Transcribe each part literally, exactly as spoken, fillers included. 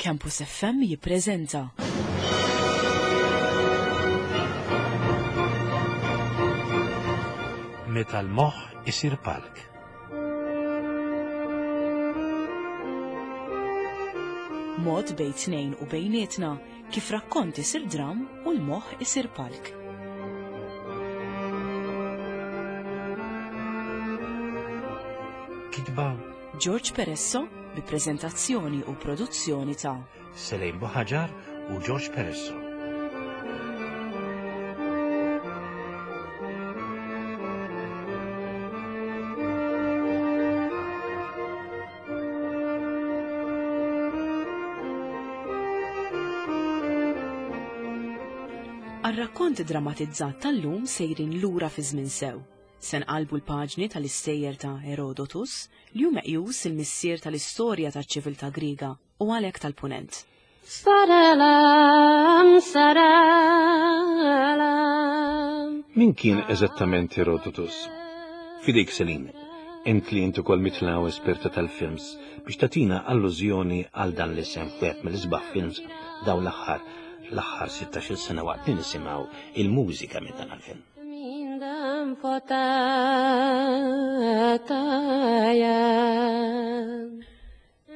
Campus F M jippreżenta Meta l-moħħ isir palk. Mod bejn tnejn u bejnietna kif rakkont isir dram u l-moħħ isir palk. Kitba George Peresso bi preżentazzjoni u produzzjoni ta' Selejn Buħaġar u George Peresso. Għar-rakkont drammatizzat tal-lum sejrin lura fi żmien sew. Se nqalbu l-paġni tal-istejjer ta' Herodotus li hu meqjus il-missier tal-istorja taċ-ċiviltà Griega u għalhekk tal-Punent. Saralam, saralam. Min kien eżattament Herodotus? Fidejk Selin, int li int ukoll mitlaw esperta tal-films biex tatina allużjoni għal dan l-isem f'wieħed mill-isbaħ films dawn l-aħħar l-aħħar sittax-il sena waqt li nisimgħu il-mużika minn dan il-film.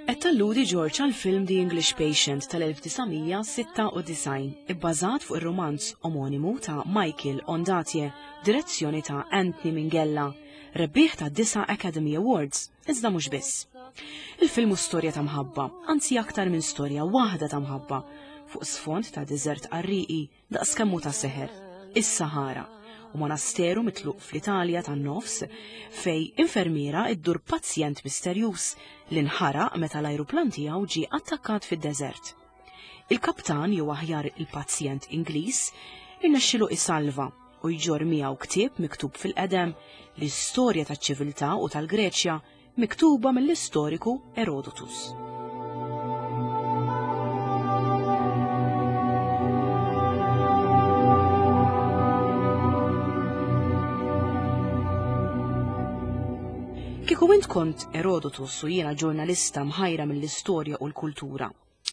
Qed talludi George għal film The English Patient tal-elf disa' sitta u disgħin, ibbażat fuq ir-romanz omonimu ta' Michael Ondaatje, direzzjoni ta' Anthony Minghella, rebbieħ ta' disa' Academy Awards, iżda mhux biss. Il-film hu storja ta' mħabba, anzi aktar minn storja waħda ta' mħabba, fuq sfond ta' deżert qarrieqi daqs kemm hu ta' seħer, is-Sahara, u monasteru mitluq fl-Italja tan-nofs fej infermiera iddur pazjent misterjuż li nħaraq meta l-ajruplan tiegħu ġie attakkat fid-deżert. Il-kaptan jew aħjar il-pazjent Ingliż irnexxielu isalva u jġorr miegħu ktieb miktub fil-qedem l-istorja taċ-ċiviltà u tal-Greċja miktuba mill-istoriku Herodotus. Kieku int kont Herodotus u jiena ġurnalista mħajra mill-istorja u l-kultura,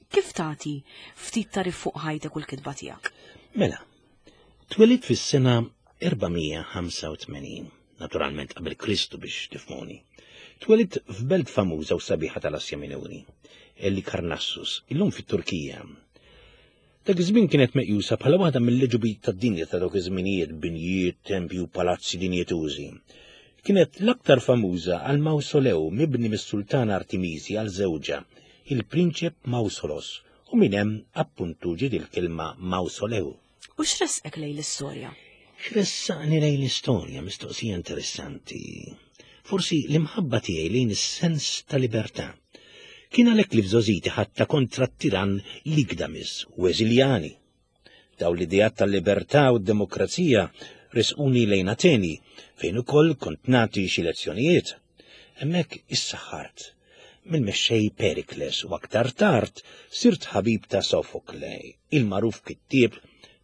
kif tagħti ftit tarif fuq ħajtek u l-kitba tiegħek? Mela, twelidt fis-sena erbamija ħamsa u tmenin, naturalment qabel Kristu biex tifhmuni. Twelidt f'belt famuża u sabiħa tal-Asja Minuri, Halikarnassus, illum fit-Turkija. Dak iż-żmien kienet meqjusa bħala waħda mill-leġubijiet tad-dinja ta' dawk iż-żminijiet, binjiet, tempji u palazzi dinjetużi. Kienet l-aktar famuża għal mawsolew mibni mis-sultan Artemisi għal żewġha, il-prinċep Mausolos, u minn hemm appuntu ġiet il-kelma mawsolew. U x'ressqek lejn l-istorja? X'ressaqni lejn l-istorja, mistoqsija interessanti. Forsi l-imħabba tiegħi lejn is-sens ta' libertà. Kien għalhekk li f'żożiti ħatta kontra t-tiran Ligdamis u eżiljani. Daw l-ideat tal-libertà u d-demokrazija resquni lejn Ateni, fejn ukoll kont nagħti xi lezzjonijiet. Hemmhekk issaħħart mill-mexxej Perikles u aktar tard sirt ħabib ta' Sofokle, il-magħruf kittieb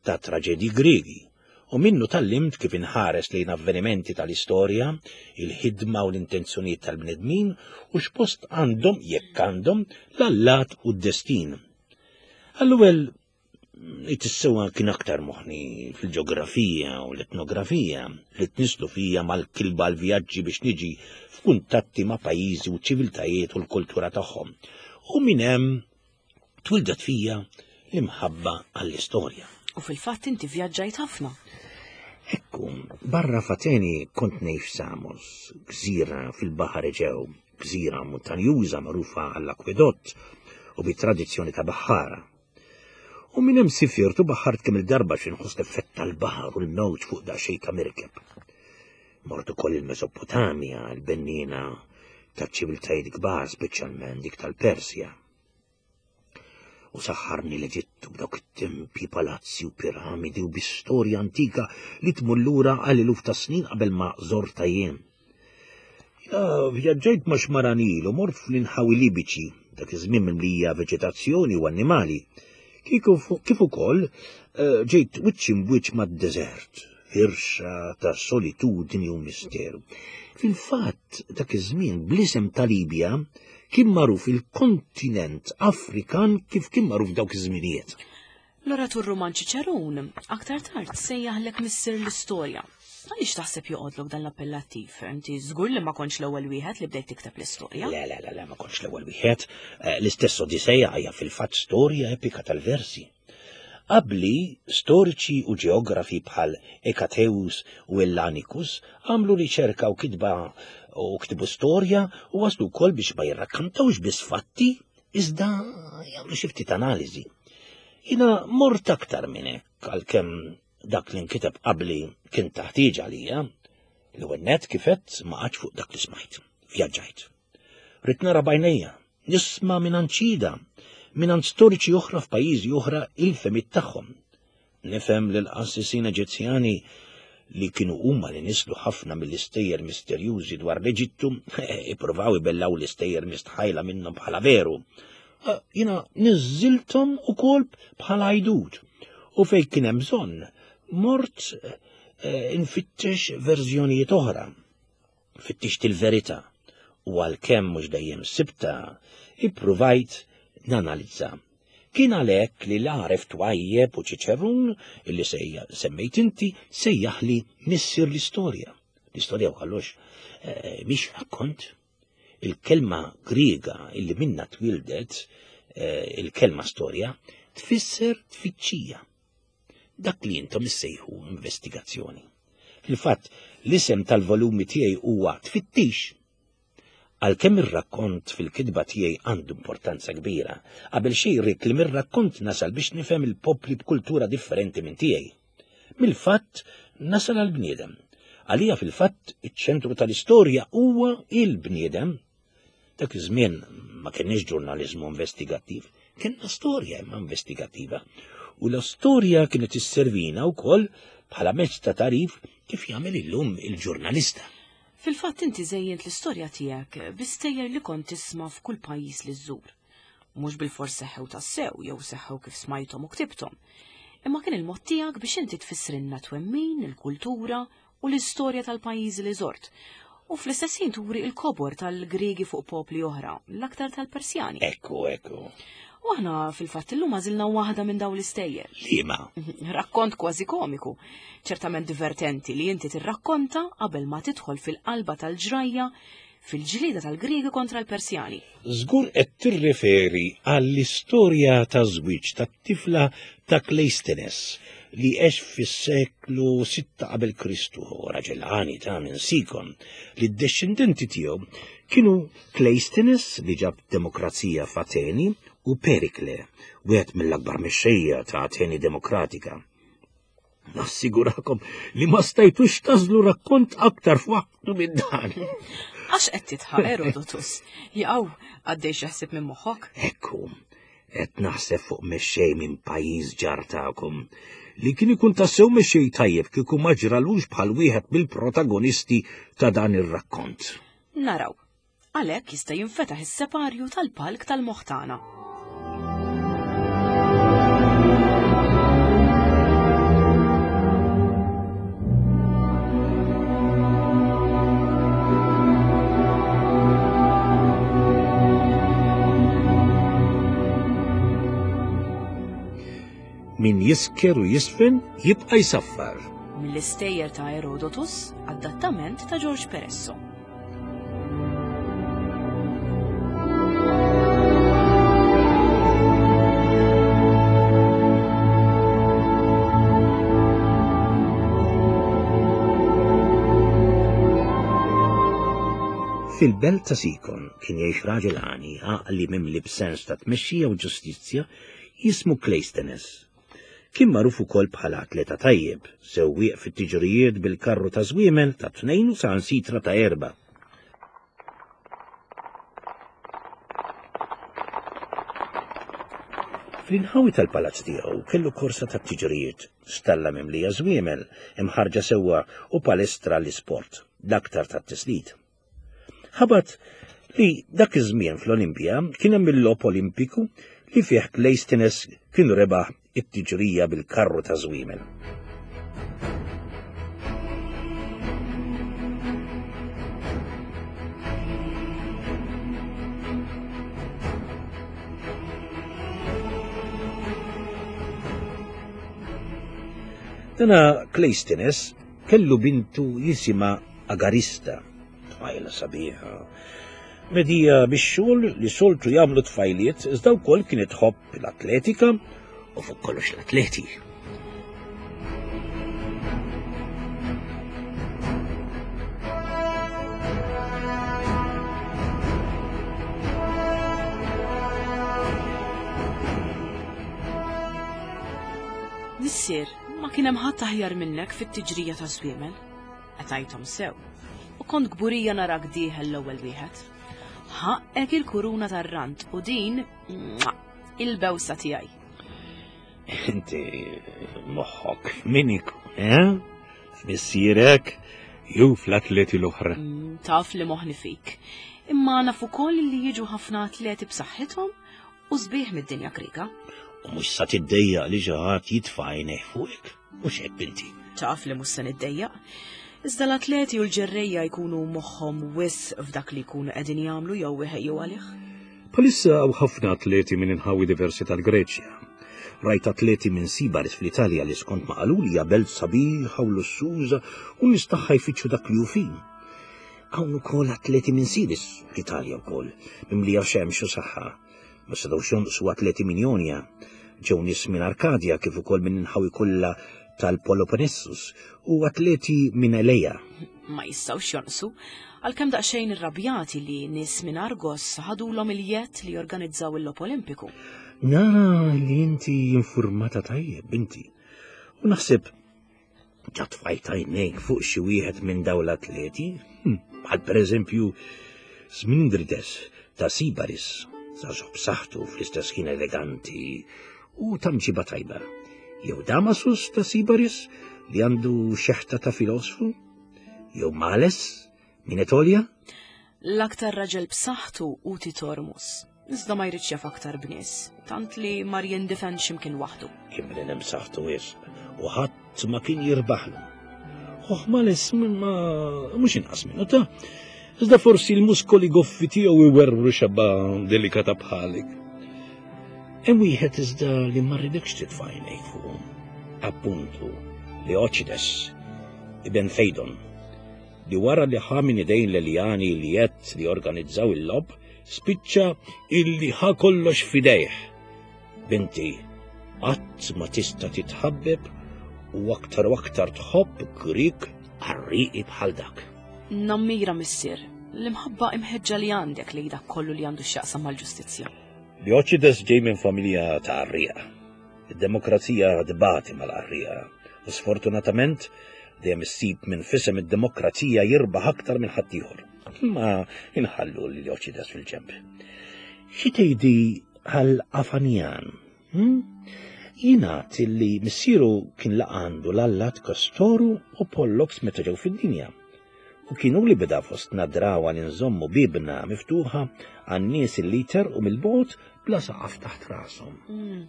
ta' traġedji Griegi, u minnu tallimt kif inħares lejn avvenimenti tal-istorja, il-ħidma u l-intenzjonijiet tal-bnedmin u x'post għandhom jekk għandhom l-allat u d-destin. Għall-ewwel it-sewwa kien aktar moħni fil-ġeografija u l-etnografija li tnislu fija mal-kilba l-vjaġġi biex niġi f'kuntatti ma' pajjiżi u ċiviltajiet u l-kultura tagħhom. U minn hemm twildet fija l-imħabba għall-istorja. U fil-fatt inti vjaġġajt ħafna. Ekku, barra f'Ateni kont ngħix f'Samos, gżira fil-Baħar Eġew, gżira montanjuża magħrufa għall-akwedott u bit-tradizzjoni ta' baħħara. U minn hemm sifirt u baħħart kemm il-darba xi nħoss l-effett tal-baħar u l-mewġ fuq daqsxejn ta' mirkeb. Mort ukoll il-Mesopotamja, l-benniena taċ-ċiviltajiet kbar, speċjalment dik tal-Persja. U saħħarni l-Eġittu b'dawk it-tempji, palazzi u piramidi u bi-storja antika li tmur lura għal eluf ta' snin qabel ma żorta jien. Ja, vjaġġajt ma' xmaranil u mort fl-inħawi Libiċi, dak iż-żmien mimlija veġetazzjoni u annimali. Kieku fu-, kif ukoll, eh, ġejt wiċċ imbwiċċ mad-deżert, firxa ta' solitudni u misteru. Fil-fatt, dak iż-żmien bl-isem ta' Libja kien magħruf il-kontinent Afrikan kif kien magħruf dawk iż-żminijiet. L-oratur Ruman Ċiċerun aktar tard sejjaħlek missier l-istorja. Għaliex taħseb joqgħodlok dan l-appellattiv? Inti żgur li ma kontx l-ewwel wieħed li bdejt tikteb l-istorja. Le, le, le, le, ma kontx l-ewwel wieħed. Eh, L-istess Odiseja hija fil-fatt storja epika tal-versi. Qabli, storiċi u ġeografi bħal Ekateus u Ellanicus għamlu riċerka u kitba u ktibu storja u waslu wkoll biex ma jirrakkantawx biss fatti, iżda jagħmlu xi ftit analiżi. Jiena mort aktar minn hekk għalkemm dak li nkiteb qabli kien taħtieġ għalija. L-ewwel nett kif għedt ma qgħadx fuq dak li smajt. Vjaġġajt. Ridt nara b'għajnejja, nisma' minn ċida, minn storiċi oħra f'pajjiżi oħra il-fehmiet tagħhom. Nifhem li l-qassisin Eġizzjani li kienu huma li nislu ħafna mill-istejjer misterjużi dwar l-Eġittu, ippruvaw ibellaw l-istejjer mistħajla minnhom bħala veru. Eh, Jiena niżżilthom ukoll bħala għajdut. U fejn kien hemm bżonn, mort eh, infittex verżjonijiet oħra. Fittixt il-verità u għalkemm mhux dejjem sibta, ippruvajt nanalizza. Kien għalhekk li l-għaref twajjeb u Ċiċerun, illi sejja semmejt inti, sejjaħli missier l-istorja. L-istorja u kollox eh, mhix rakkont. Il-kelma Griega illi minna twildet, eh, il-kelma storja, tfisser tfittxija. Dak li intom issejħu investigazzjoni. Fil-fatt, l-isem tal-volumi tiegħi huwa Tfittix. Għalkemm ir-rakkont fil-kitba tiegħi għandu importanza kbira, qabel xejn rrid li mir-rakkont nasal biex nifhem il-popli b'kultura differenti minn tiegħi. Mill-fatt nasal għall-bniedem. Għalija fil-fatt iċ-ċentru tal-istorja huwa il-bniedem. Dak iż-żmien ma kienx ġurnaliżmu investigattiv, kienna storja imma investigattiva. U l-istorja kienet isservina wkoll bħala mezz ta' tarif kif jagħmel illum il-ġurnalista. Fil-fatt inti żejjent l-istorja tiegħek bi stejjer li kont tisma' f'kull pajjiż li żżur. Mhux bilfors seħħew tassew jew seħħew kif smajthom u ktibthom. Imma kien il-mod tiegħek biex inti tfissrilna twemmin, il-kultura u l-istorja tal-pajjiżi li żort. U fl-istess ħin turi il-kobor tal-Griegi fuq popli oħra, l-aktar tal-Persjani. Ekku, ekku. U aħna fil-fatt illum għażilna waħda minn dawn l-istejjer. Liema? Rakkont kważi komiku, ċertament divertenti li inti tirrakkonta qabel ma tidħol fil-qalba tal-ġrajja fil-ġlieda tal-Griegi kontra l-Persjani. Żgur qed tirreferi għall-istorja ta' żwieġ tat-tifla ta' Kleistenes li għex fis-seklu sitta qabel Kristu, raġel għani ta' minn Sikon, li d-descendenti tiegħu kienu Kleistenes li ġab demokrazija f'Ateni u Perikle, wieħed mill-akbar mexxejja ta' Ateni demokratika. Nassigurakom li ma stajtux tażlu rakkont aktar f'waqtu minn dan. Għax qed titħaq Herodotus? Jaqaw għaddej xi ħsieb minn moħħok? Ekku, qed naħseb fuq mexxej minn pajjiż ġar tagħkom li kien ikun tassew mexxej tajjeb kieku ma ġralux bħal wieħed mill-protagonisti ta' dan ir-rakkont. Naraw. Għalhekk jista' jinfetaħ is-separju tal-palk tal-moħħ tagħna. Min jisker u jisfen jibqa' jsaffar. Mill-istejjer ta' Herodotus, adattament ta' George Peresso. Fil-belt ta' Sikon kien jgħix raġel għani għaqli mimli b'sens ta' tmexxija u ġustizzja jismu Kleistenes. Kien magħruf ukoll bħala atleta tajjeb, sewwieq fit-tiġrijiet bil-karru ta' żwiemel ta' tnejn u sansitra ta' erba'. Fl-inħawi tal-palazz tiegħu kellu korsa ta' tiġrijiet, stalla mimlija żwiemel, imħarġa sewwa u palestra l-isport, l-aktar tat-tislit. Ħabat li dak iż-żmien fl-Olimpja kien hemm il-logħob Olimpiku li fih Kleistenes kien rebaħ it-tiġrija bil-karru ta' żwiemel. Dana Kleistines kellu bintu jisimha Agarista, tfajla sabiħa. Medija bix-xogħol li soltu jagħmlu tfajliet, iżda wkoll kienet tħobb l-atletika u fuq kollox l-atleti. Missier, ma kien hemm ħadd aħjar minnek fit-tiġrija ta' żwiemel. Qtajthom sew. U kont kburija narak dieħel l-ewwel wieħed. Ħaqqek il-kuruna tar-rant u din il-bewsa tiegħi. Inti moħħok min ikun, eh? F'missierek jew fl-atleti l-oħra. Mm, taf li moħħni fik. Imma naf ukoll li jiġu ħafna atleti b'saħħithom u sbieħ mid-dinja Griega. U mhux sa tiddejjaq li xi ħadd jitfa' għajnejh fuqek, mhux hekk binti. Taf li mhux se niddejjaq. Iżda l-atleti u l-ġerrejja jkunu moħħhom wisq f'dak li jkunu qegħdin jagħmlu jew iħejju għalih. Bħalissa hawn ħafna atleti minn inħawi diversi tal-Greċja. Rajt atleti minn Sibaris fl-Italja li skont ma qaluli hija belt sabiħa u lussuża u nies tagħha jfittxu dak li hu fin. Hawn ukoll atleti minn Sidis fl-Italja wkoll, mimlija xemx u saħħa. Ma setgħux jonqsu atleti minn Ionia, ġew nies minn Arkadja kif ukoll minn inħawi kollha tal-Peloponnesus u atleti minn Eleja. Ma jistgħux jonqsu, għalkemm daqsxejn irrabjati li nies minn Argos ħadulhom il-jett li jorganizzaw il-Logħob Olimpiku. Nara li inti informata tajjeb, binti. U naħseb ġa tfajt għajnejk fuq xi wieħed minn dawn l-atleti, bħal pereżempju Smindrides ta' Sibaris, żagħżugħ b'saħħtu fl-istess ħin eleganti u ta' mġiba tajba. Jew Damasus ta' Sibaris li għandu xeħta ta' filosfu, jew Males minn Etolja. L-aktar raġel b'saħħtu hu Titormus, iżda ma jridx jaf aktar b'nies, tant li mar jindifen x'imkien waħdu. Kien bniedem b'saħħtu wisq u ħadd ma kien jirbaħlu. Oh, Males ma mhux inqas minnu ta' iżda forsi l-muskoli goffi tiegħu iwerwru xabba delikata bħalik. Hemm wieħed iżda li ma rridekx titfa' għajnejk fuqu. Appuntu, Leocides, ibn Feidon, li wara li ħa minn idejn l-Eljani li jett li organizzaw il-lob, spiċċa illi ħa kollox f'idejh. Binti, qatt ma tista' titħabbeb u aktar u aktar tħobb Grieg qarrieqi bħal dak. Nammira missier, l-imħabba imħeġġa li għandek li dak kollu li għandu x'jaqsam mal-ġustizzja. Leocides ġej minn familja ta' qarrieqa. Id-demokrazija tbati mal-qarrieqa u sfortunatament dejjem issib minn fisem id-demokrazija jirbaħ aktar minn ħaddieħor. Ma inħallu lil Leocides fil-ġenb. Xi tgħidi għal Afanjan? Hm? Jingħad li missieru kien laqa għandu l-allat Kastoru u Pollux meta ġew fid-dinja. U kienu li beda fostna drawa li nżommu bibna miftuħa għan-nies li jterqu mill-bogħod bla saqaf taħt rashom. Mm,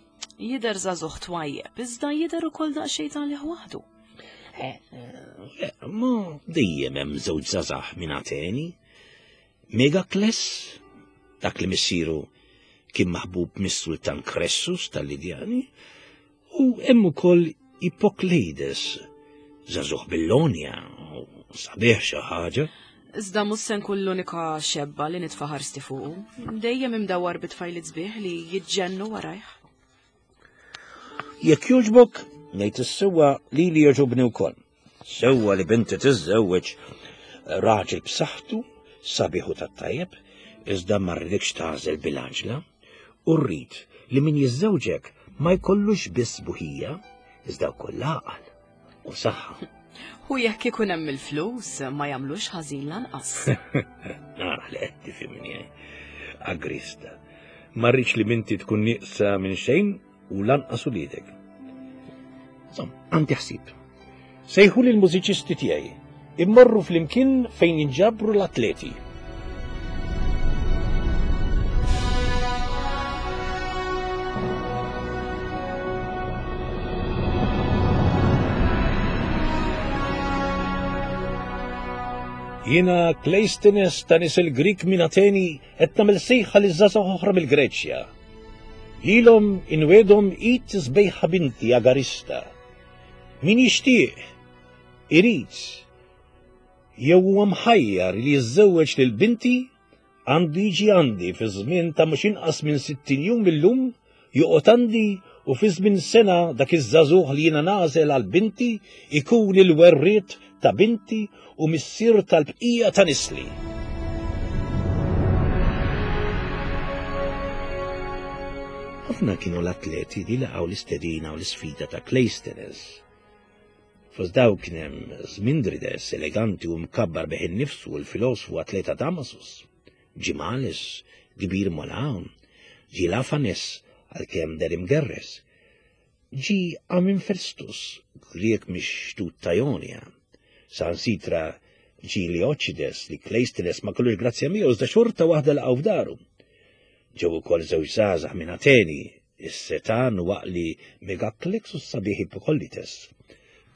Jidher żagħżugħ twajjeb, iżda jidher ukoll daqsxejn talih waħdu. Le, ma dejjem hemm żewġ żgħażagħ minn Ateni. Megakles, dak li missieru kien maħbub mis-sultan Kressus tal-Lidjani, u hemm ukoll Ipokleides, żagħżugħ Billonja, sabiħ xi ħaġa. Iżda mhux se nkun l-unika xebba li nitfa' ħarsti fuqu. Dejjem imdawwar bit-tfajliet sbieħ li jiġġennu warajh. Jekk jogħġbok, ngħid is-sewwa lili jogħġobni wkoll. Sewwa li binti tiżżewweġ raġel b'saħħtu, sabiħ u tat-tajjeb, iżda ma rridekx tagħżel bil-għaġla, u rrid li min jiżżewġek ma jkollux biss buħija, iżda wkoll għaqal u saħħa. U jekk ikun hemm il-flus ma jagħmlux ħażin lanqas. Nara li qed tifhimni, Agrista. Ma rridx li binti tkun nieqsa minn xejn u lanqas uliedek. Insomma, għandi ħsieb. Sejħu lil mużiċisti tiegħi, immorru flimkien fejn jinġabru l-atleti. Jiena Kleistines ta' nies il-Grik minn Ateni qed nagħmel sejħa li żgħażagħ oħra mill-Greċja. Lilhom inwedhom id sbejħa binti Agarista. Min jixtieq, irid, jew huwa mħajjar li jiżżewweġ lil binti għandu jiġi għandi fi żmien ta' mhux inqas minn sittin jum illum, joqgħod għandi u fi żmien sena dak iż-żagħżugħ li jiena nagħżel għal binti ikun il-werriet ta' binti u missier tal-bqija ta' nisli. Ħafna kienu l-atleti li laqgħu l-istedina u l-isfida ta' Cleisthenes. Fost daw kien hemm Smindrides, eleganti u mkabbar bih innifsu, l-filosfu atleta Damasus, Gimales, kbir Molawn, Gilafanes, għalkemm deher imgerres, ġi Aminfestus, Grieg mix-xtut ta' Ionia, Sansitra ġi Leocides li Cleisthenes ma kellux grazzja miegħu iżda xorta waħda laqgħu f'daru. Ġew ukoll żewġ żgħażagħ minn Ateni, is-setan waqli Megaklex u s-sabiħ Hippokollites.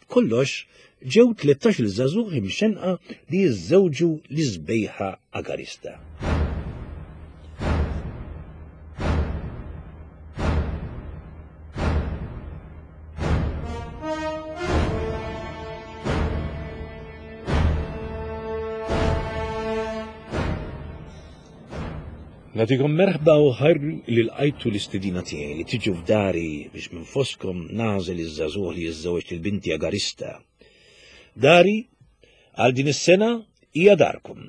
B'kollox ġew tlettax-il żagħżugħ imxenqa li jiżżewġu l-isbejħa Agarista. Nagħtikom merħba u ħajr li lqajtu l-istedina tiegħi li tiġu f'dari biex minn foskom nagħżel iż-żagħżugħ li jiżżewweġ lil binti Agarista. Dari għal din is-sena hija darkom.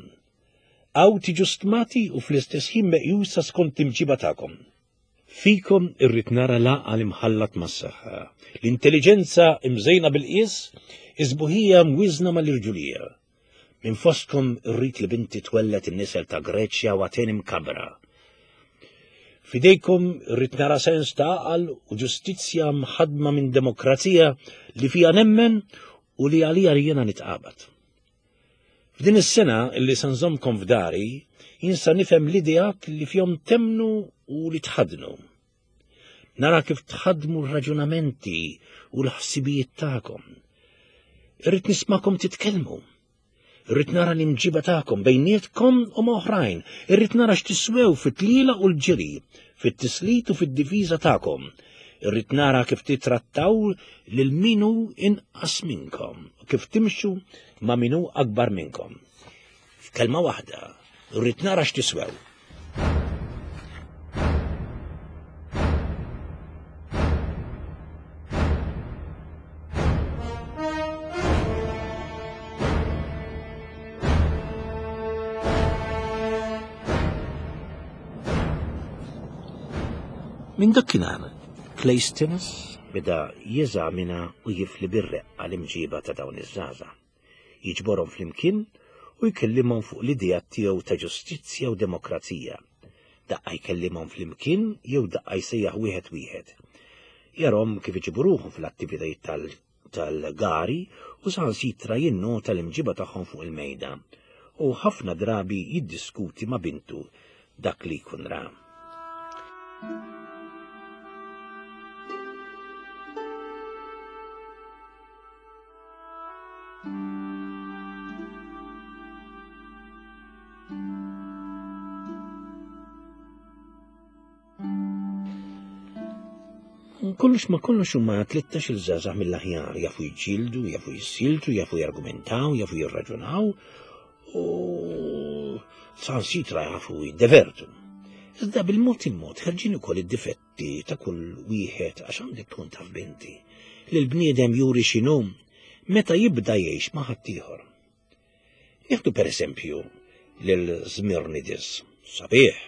Hawn tiġu stmati u fl-istess ħin meqjusa skont l-imġiba tagħkom. Fikom irrid nara l-għaqal imħallat mas-saħħa, l-intelliġenza imżejna bil-qies, iż-sbuħija mwiżna mal-irġulija. Minn fostkom irrid li binti twellet in-nisel ta' Greċja u Ateni mkabra. Fidejkom irrid nara sens ta' għaqal u ġustizzja mħadma minn demokrazija li fija nemmen u li għalija jiena nitqabad. F'din is-sena li se nżommkom f'dari, jien sa nifhem l-ideat li fihom temnu u li tħadnu. Nara kif tħadmu r-raġunamenti u l-ħsibijiet tagħkom. Irrid nismakom titkellmu. Irrid nara l-imġiba tagħkom bejnietkom u ma' oħrajn. Irrid nara x'tiswew fit-tliela u l-ġiri, fit-tislit u fid-difiża tagħkom. Irrid nara kif titrattaw lil min hu inqas minnkom, kif timxu ma' min hu akbar minnkom. F'kelma waħda, irrid nara x'tiswew. Minn dakinhar, Cleisthenes beda jeżamina u jifli bir-reqqa l-imġiba ta' dawn iż-żgħażagħ. Jiġborhom flimkien u jkellimhom fuq l-idea tiegħu ta' ġustizzja u demokrazija. Daqqa jkellimhom flimkien jew daqqa jsejjaħ wieħed wieħed. Jarhom kif iġibu ruħhom fl-attivitajiet tal-, tal-gari u saħansitra jinnota l-imġiba tagħhom fuq il-mejda u ħafna drabi jiddiskuti ma' bintu dak li jkun ra. Kollox ma kollox huma tlettax il-żgħażagħ mill-aħjar, jafu jiġġieldu, jafu jissiltu, jafu jargumentaw, jafu jirraġunaw u saħansitra jafu jiddevertu. Iżda bil-mod il-mod ħerġin ukoll id-difetti ta' kull wieħed għax għandek tkun taf binti li l-bniedem juri x'inhu meta jibda jgħix ma' ħaddieħor. Nieħdu pereżempju lil Smirnidis, sabiħ,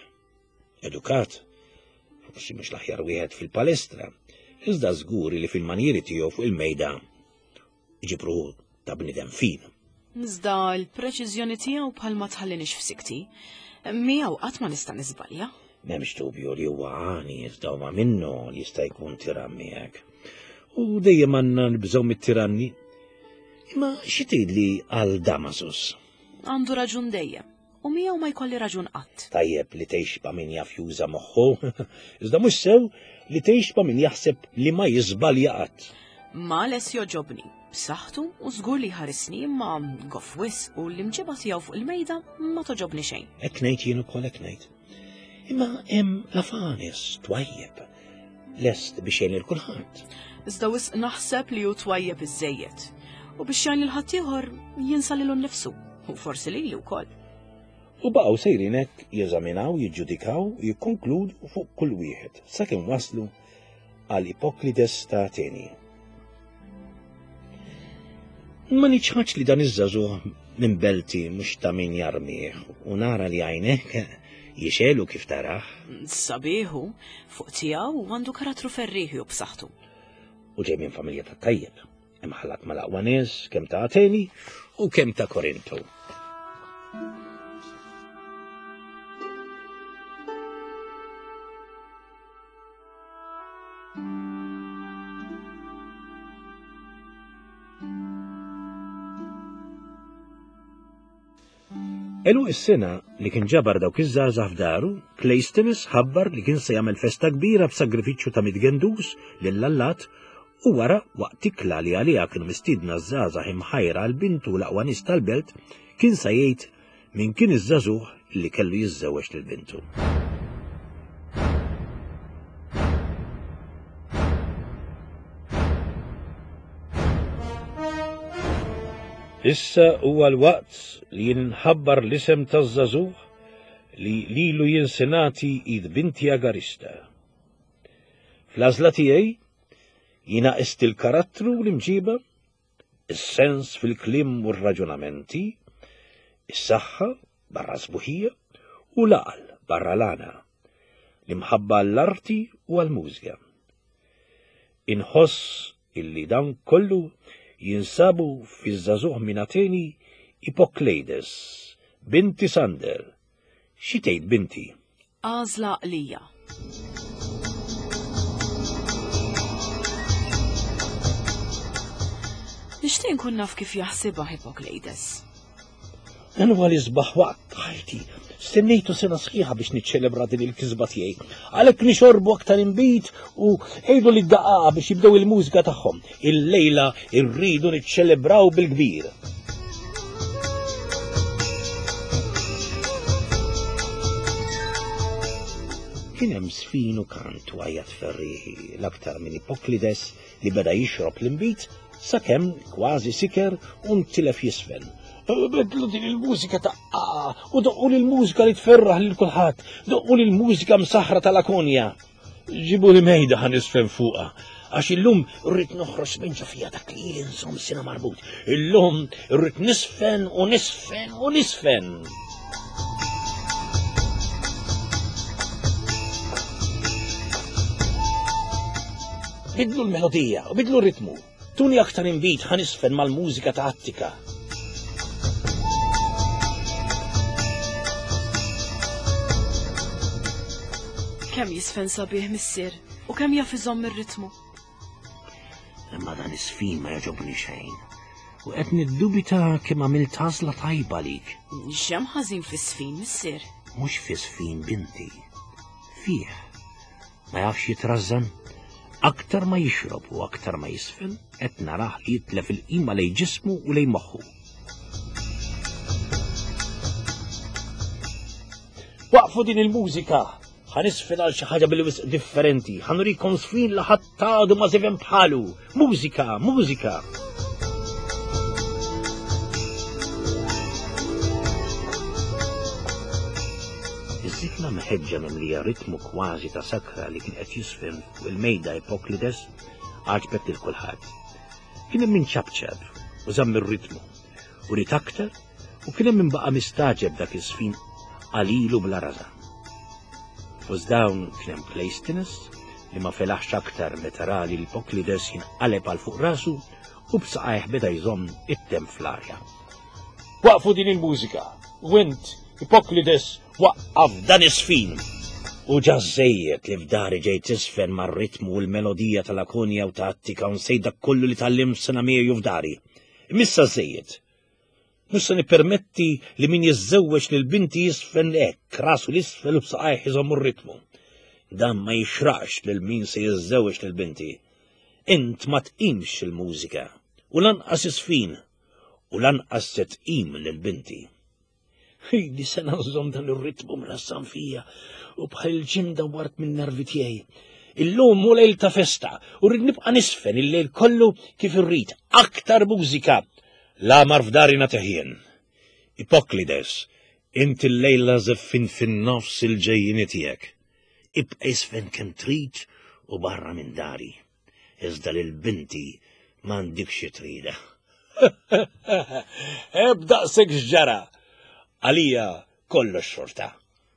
edukat, forsi mhux l-aħjar wieħed fil-palestra, iżda żguri li fil-manjieri tiegħu fuq il-mejda iġibru ta' bniedem fin. Iżda l-preċiżjoni tiegħu bħal ma tħallinix f'sikti. Miegħu qatt ma nista' niżbalja. M'hemmx dubju li huwa għani iżda huwa minnu li jista' jkun tiran miegħek. U dejjem għandna nibżgħu mit-tiranni. Imma xi tgħidli għal Damasus? Għandu raġun dejjem. U miegħu ma jkolli raġun qatt. Tajjeb li tgħix ma' min jaf juża moħħu, iżda mhux sew li tgħix ma' min jaħseb li ma jiżbalja qatt. Ma les joġobni, b'saħħtu u żgur li jħarisni imma goff wisq u l-imġiba tiegħu fuq il-mejda ma toġobni xejn. Hekk ngħid jien ukoll hekk ngħid. Imma hemm Lafanes twajjeb, lest biex jgħin lil kulħadd. Iżda wisq naħseb li hu twajjeb iżżejjed. U biex jgħin lil ħaddieħor jinsa lilu nnifsu, u forsi lili wkoll. U baqgħu sejrin hekk jeżaminaw, jiġġudikaw, jikkonkludu fuq kull wieħed sakemm waslu għal Ipoklides ta' Ateni. Ma niċħadx li dan iż-żagħżugħ minn belti mhux ta' min jarmih u nara li għajnejk jixelu kif tarah. Sabiħu, fuq tiegħu għandu karattru ferrieħi u b'saħħtu. U ġej minn familja ta' tajjeb, imħallat mal-aqwa nies kemm ta' Ateni u kemm ta' Korintu. Għeluq is-sena li kien ġabar dawk iż-żgħażagħ f'daru, Cleisthenes ħabbar li kien se jagħmel festa kbira b'sagrifiċċju ta' mitt gendus lill-allat u wara waqt ikla li għaliha kienu mistiedna ż-żgħażagħ imħajra għal bintu l-aqwa nies tal-belt kien se jgħid min kien iż-żagħżugħ li kellu jiżżewweġ lil bintu. Issa huwa l-waqt li jinħabbar l-isem taż-żagħżugħ li lilu jinsenati id binti Agarista. Fl-għażla tiegħi jiena qist il-karattru u l-imġiba, is-sens fil-kliem u r-raġunamenti, is-saħħa barra sbuħija u l-għaqal barra l-għana, l-imħabba għall-arti u għall-mużika. Inħoss illi dan kollu jinsabu fiż-żagħżugħ minn Ateni Ipokleides, binti Sander. Xi tgħid binti? Għażla għaqlija. Nixtieq nkun naf kif jaħsibha Ipokleides. Dan huwa l-isbaħ waqt ħajti. Stennejtu sena sħiħa biex niċċelebra din il-kisba tiegħi. Għalhekk nixorbu aktar inbid u għidu li d-daqqa biex jibdew il-mużika tagħhom. Il-lejla rridu niċċelebraw bil-kbir. Kien hemm sfin u kant u għajat ferrieħi l-aktar minn Ipoklides li beda jixrob l-inbid sakemm kważi siker u ntilef jisfen. Bidlu din il-mużika ta' u doqqu l-mużika li tferraħ lil kulħadd, doqqu l-mużika msaħra tal-Akonja. Ġibu li mejda ħa nisfen fuqha, għax illum rrid noħroġ minn ġo fija dak li ili nżomm sena marbut. Illum rrid nisfen u nisfen u nisfen. Bidlu l-melodija u bidlu r-ritmu. Tuni aktar inbid ħa nisfen mal-mużika ta' Attika. Kemm jisfen sabiħ missier u kemm jaf iżomm ir-ritmu. Imma dan is-sfin ma jogħġobni xejn. U qed niddubita kemm għamilt għażla tajba lik. X'hemm ħażin fis-sfin missier? Mhux fis-sfin binti. Fih. Ma jafx jitrażżan. Aktar ma jixrob u aktar ma jisfen, qed narah li jitlef il-qima lejn ġismu u lejn moħħu. Waqfu din il-mużika! Ħa nisfen għal xi ħaġa bil-wisq differenti, ħa nurikom sfin li ħadd għadu ma żifen bħalu. Mużika, mużika! Iż-żifna mħeġġa mimlija ritmu kważi ta' sakra li kien qed jisfen fuq il-mejda Ipoklides għaġbet lil kulħadd. Kien hemm min ċapċap u żamm ir-ritmu u ried aktar u kien hemm min baqa' mistaġeb dak iż-żfin qalilu bla rażan. Fost dawn kien hemm Cleisthenes li ma felaħx aktar meta ra li l-Ipoklides jinqaleb għal fuq rasu u b'saqajh beda jżomm it-temp fl-arja. Waqfu din il-mużika, u int, Ipoklides, waqqaf dan is-sfin! U ġa żejjed li f'dari ġejt tisfen mar-ritmu u l-melodija tal-Akonja u ta' Attika u nsejt dak kollu li tgħallimt sena miegħi f'dari. Imissa żejjed. Mhux se nippermetti li min jiżżewweġ lil binti jisfen hekk, rasu l-isfel u b'saqajh iżommu r-ritmu. Dan ma jixraqx lil min se jiżżewweġ lil binti. Int ma tqimx il-mużika u lanqas isfin u lanqas se tqim lil binti. Ili sena nżomm dan ir-ritmu mrassam fija u bħal il-ġimda wart minn nervi tiegħi. Illum hu lejl ta' festa u rrid nibqa' nisfen il-lejl kollu kif irrid. Aktar mużika. La mar f'dari nagħti. Ipoklides, inti l-lejla żeffin fin-nofs il-ġejjini tiegħek. Ibqa' isfen kemm trid u barra minn dari. Iżda lil binti m'għandikx xi trida. Ebda sek x'ġara. Għalija kollox xorta.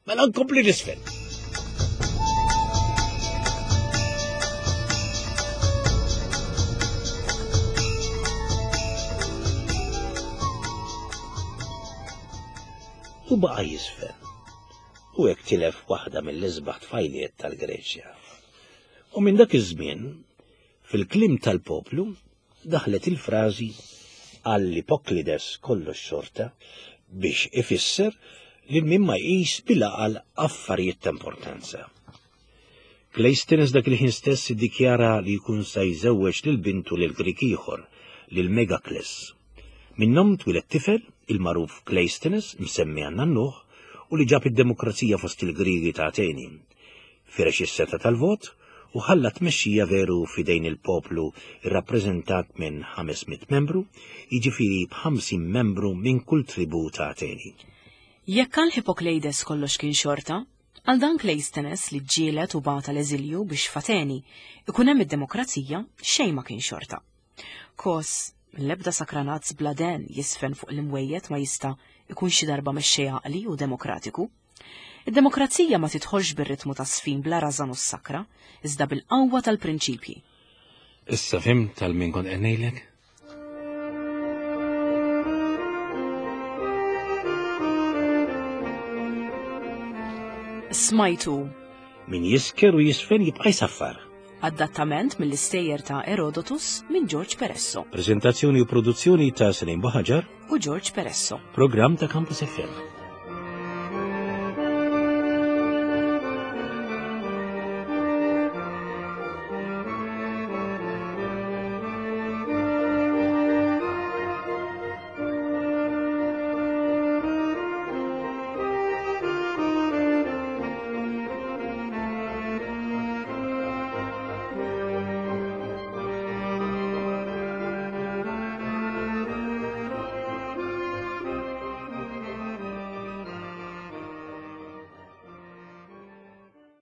Mela nkompli nisfen. U baqa' jisfen. U hekk tilef waħda mill-isbaħ tfajliet tal-Greċja. U minn dak iż-żmien, fil-kliem tal-poplu, daħlet il-frażi għall-Ipoklides kollox xorta biex ifisser li min ma jqis bil-għaqal affarijiet ta' importanza. Kleisthenes dak il-ħin stess iddikjara li jkun sa jżewweġ lil bintu lil Grik ieħor, lil Megakles. Minnhom twieled tifel, il-magħruf Kleisthenes, msemmi għan nannuh, u li ġab id-demokrazija fost il-Griegi ta' Ateni. Firex is-seta tal-vot u ħalla tmexxija veru f'idejn il-poplu rrappreżentat minn ħames mitt membru, jiġifieri b'ħamsin membru minn kull tribu ta' Ateni. Jekk għal Hippokleides kollox kien xorta, għal dan Kleisthenes li ġġieled u bata l-eżilju biex f'Ateni ikun hemm id-demokrazija xejn ma kien xorta. Kos, l-ebda sakranazz bladen jisfen fuq l-imwejjed ma jista' ikun xi darba mexxej għaqli u demokratiku. Id-demokrazija ma tidħolx bir-ritmu ta' sfin bla rażan u s-sakra, iżda bil-qawwa tal-prinċipji. Issa fhimt tal min kont qed ngħidlek? Smajtu. Min jisker u jisfen jibqa' jsaffar. Adattament mill-istejjer ta' Erodotus minn George Peresso. Prezentazzjoni u produzzjoni ta' Celine Buhagiar u George Peresso. Programm ta' Campus F M.